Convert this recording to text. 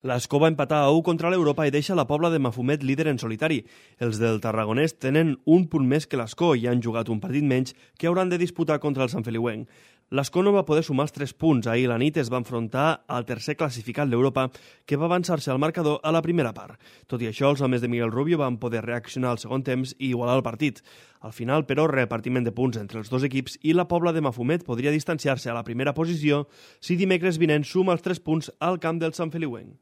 L'Escó va empatar a 1 contra l'Europa i deixa la Pobla de Mafumet líder en solitari. Els del Tarragonès tenen un punt més que l'Escó i han jugat un partit menys que hauran de disputar contra el Sant Feliuenc. L'Escó no va poder sumar els 3 punts. Ahir la nit es va enfrontar al tercer classificat d'Europa, que va avançar-se al marcador a la primera part. Tot i això, els homes de Miguel Rubio van poder reaccionar al segon temps i igualar el partit. Al final, però, repartiment de punts entre els dos equips i la Pobla de Mafumet podria distanciar-se a la primera posició si dimecres vinent suma els 3 punts al camp del Sant Feliuenc.